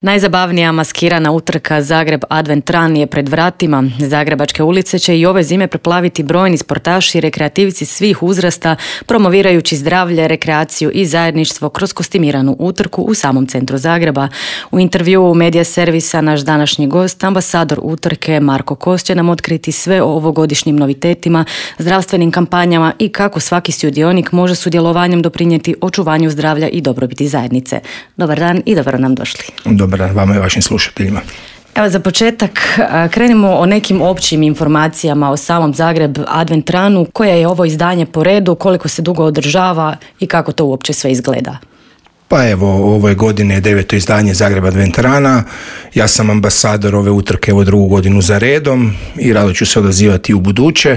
Najzabavnija maskirana utrka Zagreb Advent Run je pred vratima. Zagrebačke ulice će i ove zime preplaviti brojni sportaši i rekreativci svih uzrasta, promovirajući zdravlje, rekreaciju i zajedništvo kroz kostimiranu utrku u samom centru Zagreba. U intervjuu Medija servisa naš današnji gost, ambasador utrke Marko Kos, će nam otkriti sve o ovogodišnjim novitetima, zdravstvenim kampanjama i kako svaki sudionik može sudjelovanjem doprinijeti očuvanju zdravlja i dobrobiti zajednice. Dobar dan i dobro nam došli. Dobar dan vama i vašim slušateljima. Evo za početak krenimo o nekim općim informacijama o samom Zagreb Advent Runu. Koje je ovo izdanje po redu, koliko se dugo održava i kako to uopće sve izgleda? Pa evo, ove godine je 9. izdanje Zagreb Advent Runa. Ja sam ambasador ove utrke drugu godinu za redom i rado ću se odazivati u buduće.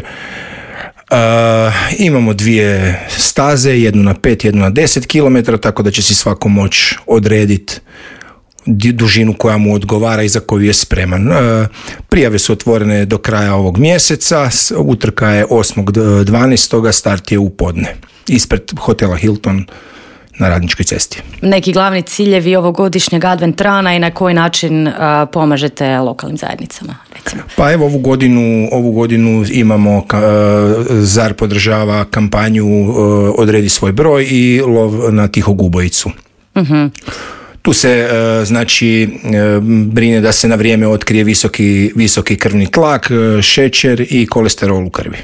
Imamo dvije staze, jednu na 5, jednu na 10 km, tako da će si svako moći odrediti dužinu koja mu odgovara i za koju je spreman. Prijave su otvorene do kraja ovog mjeseca, utrka je 8.12. start je u podne, ispred hotela Hilton na Radničkoj cesti. Neki glavni ciljevi ovogodišnjeg Advent Runa i na koji način pomažete lokalnim zajednicama, recimo? Pa evo ovu godinu imamo, ZAR podržava kampanju Odredi svoj broj i lov na tihog ubojicu. Uh-huh. Tu se brine da se na vrijeme otkrije visoki krvni tlak, šećer i kolesterol u krvi.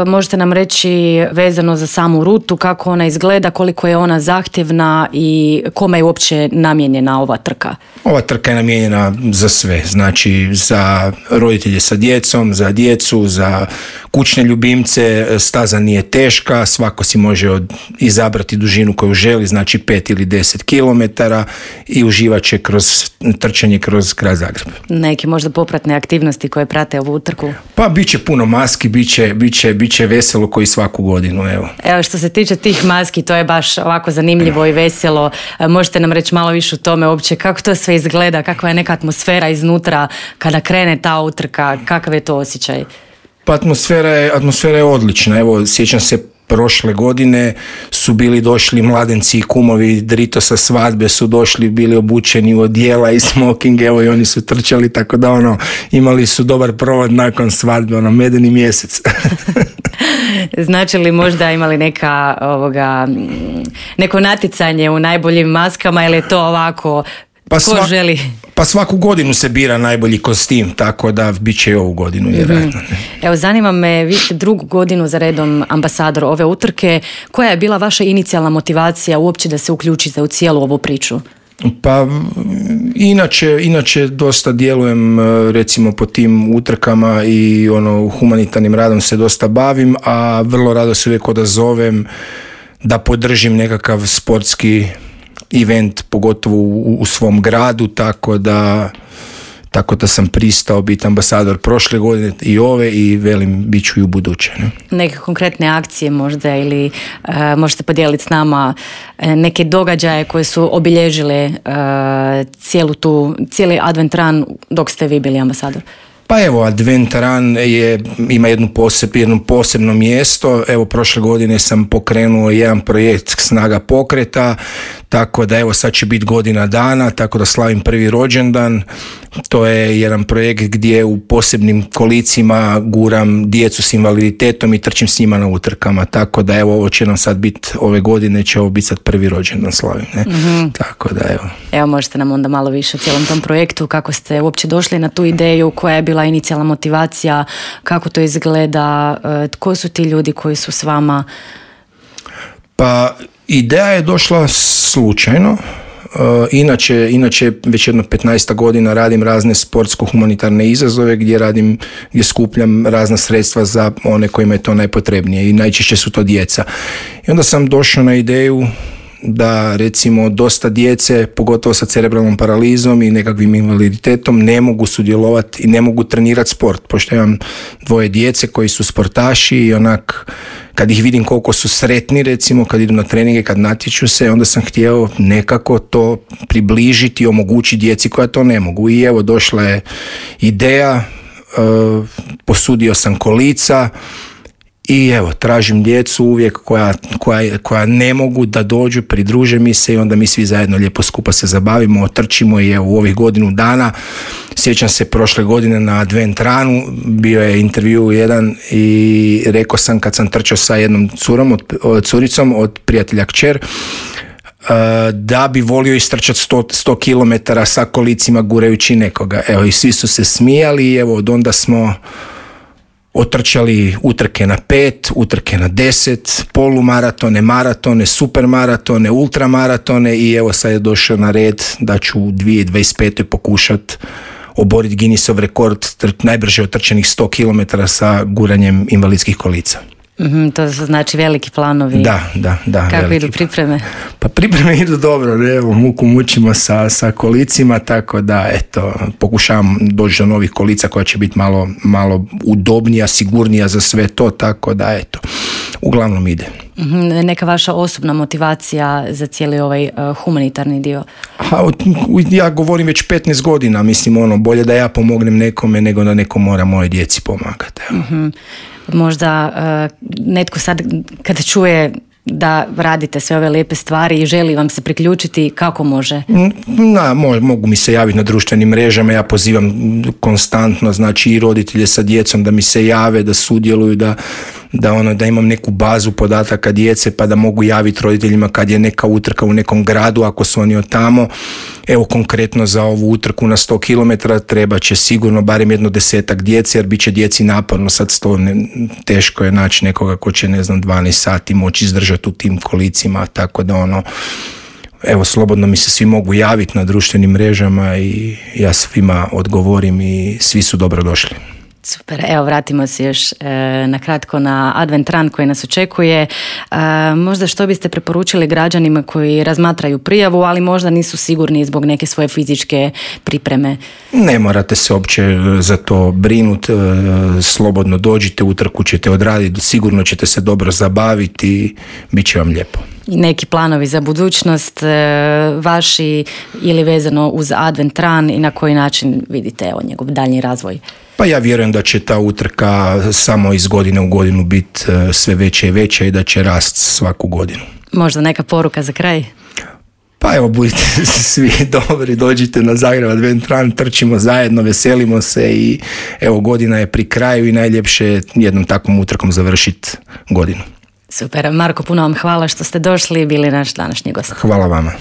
Možete nam reći vezano za samu rutu, kako ona izgleda, koliko je ona zahtjevna i kome je uopće namijenjena ova trka? Ova trka je namijenjena za sve, znači za roditelje sa djecom, za djecu, za kućne ljubimce. Staza nije teška, svako si može izabrati dužinu koju želi, znači 5 ili 10 km i uživat će kroz trčanje kroz grad Zagreb. Neke možda popratne aktivnosti koje prate ovu utrku? Pa bit će puno maski, bit će veselo koji svaku godinu. Evo što se tiče tih maski, to je baš ovako zanimljivo i veselo. Možete nam reći malo više o tome uopće, kako to sve izgleda, kakva je neka atmosfera iznutra kada krene ta utrka, kakav je to osjećaj? Pa atmosfera je odlična. Evo, sjećam se prošle godine su bili došli mladenci i kumovi Drito sa svadbe, su došli, bili obučeni u odijela i smoking, evo i oni su trčali, tako da imali su dobar provod nakon svadbe, medeni mjesec. Znači li možda imali neko natjecanje u najboljim maskama ili je to ovako? Želi? Pa svaku godinu se bira najbolji kostim, tako da bit će i ovu godinu vjerojatno. Evo, zanima me, vi ste drugu godinu za redom ambasador ove utrke. Koja je bila vaša inicijalna motivacija uopće da se uključite u cijelu ovu priču? Pa inače dosta djelujem recimo po tim utrkama i humanitarnim radom se dosta bavim, a vrlo rado se uvijek odazovem da podržim nekakav sportski event, pogotovo u svom gradu, tako da sam pristao biti ambasador prošle godine i ove i velim bit ću i u buduće. Neke konkretne akcije možda ili možete podijeliti s nama neke događaje koje su obilježile cijeli Advent Run dok ste vi bili ambasador? Pa evo, Advent Run ima jedno posebno mjesto. Evo, prošle godine sam pokrenuo jedan projekt Snaga pokreta, tako da evo sad će biti godina dana, tako da slavim prvi rođendan. To je jedan projekt gdje u posebnim kolicima guram djecu s invaliditetom i trčim s njima na utrkama, tako da evo ovo će nam sad biti, ove godine će ovo biti sad prvi rođendan slavim. Mm-hmm. Tako da evo. Evo, možete nam onda malo više o cijelom tom projektu, kako ste uopće došli na tu ideju, koja je bila inicijalna motivacija, kako to izgleda, tko su ti ljudi koji su s vama? Pa ideja je došla slučajno. Inače već jedno 15 godina radim razne sportsko-humanitarne izazove gdje skupljam razna sredstva za one kojima je to najpotrebnije i najčešće su to djeca. I onda sam došao na ideju da recimo dosta djece, pogotovo sa cerebralnom paralizom i nekakvim invaliditetom, ne mogu sudjelovati i ne mogu trenirati sport. Pošto imam 2 djece koji su sportaši i kad ih vidim koliko su sretni, recimo kad idu na treninge, kad natječu se, onda sam htio nekako to približiti i omogućiti djeci koja to ne mogu. I evo došla je ideja, posudio sam kolica I evo, tražim djecu uvijek koja ne mogu da dođu, pridruže mi se i onda mi svi zajedno lijepo skupa se zabavimo, otrčimo i evo u ovih godinu dana. Sjećam se prošle godine na Advent Runu, bio je intervju jedan i rekao sam kad sam trčao sa jednom curicom od prijatelja kćer, da bi volio istrčati 100 km sa kolicima gurajući nekoga. Evo, i svi su se smijali i evo od onda smo otrčali utrke na 5, utrke na 10, polumaratone, maratone, supermaratone, ultramaratone i evo sad je došao na red da ću u 2025. pokušati oboriti Guinnessov rekord najbrže otrčenih 100 km sa guranjem invalidskih kolica. To su znači veliki planovi. Da. Kako idu pripreme? Pa pripreme idu dobro, ne? Evo, muku mučimo sa kolicima, tako da eto, pokušavam doći do novih kolica koja će biti malo udobnija, sigurnija za sve to, tako da eto, uglavnom ide. Neka vaša osobna motivacija za cijeli ovaj humanitarni dio? Ja govorim već 15 godina, mislim bolje da ja pomognem nekome nego da neko mora moje djeci pomagati. Možda netko sad kad čuje da radite sve ove lijepe stvari i želi vam se priključiti, kako može? Mogu mi se javiti na društvenim mrežama, ja pozivam konstantno, znači i roditelje sa djecom da mi se jave, da sudjeluju, da imam neku bazu podataka djece pa da mogu javiti roditeljima kad je neka utrka u nekom gradu ako su oni od tamo. Evo konkretno za ovu utrku na 100 km treba će sigurno barem 10 djece jer bit će djeci naporno, sad teško je naći nekoga ko će 12 sati moći izdržati u tim kolicima, tako da evo slobodno mi se svi mogu javiti na društvenim mrežama i ja svima odgovorim i svi su dobrodošli. Super, evo vratimo se još na kratko na Advent Run koji nas očekuje. Možda što biste preporučili građanima koji razmatraju prijavu, ali možda nisu sigurni zbog neke svoje fizičke pripreme? Ne morate se uopće za to brinuti, slobodno dođite, utrku ćete odraditi, sigurno ćete se dobro zabaviti, bit će vam lijepo. I neki planovi za budućnost vaši ili vezano uz Advent Run i na koji način vidite njegov daljnji razvoj? Pa ja vjerujem da će ta utrka samo iz godine u godinu biti sve veća i veća i da će rast svaku godinu. Možda neka poruka za kraj? Pa evo, budite svi dobri, dođite na Zagreb Advent Run, trčimo zajedno, veselimo se i evo godina je pri kraju i najljepše je jednom takvom utrkom završiti godinu. Super, Marko, puno vam hvala što ste došli i bili naš današnji gost. Hvala vama.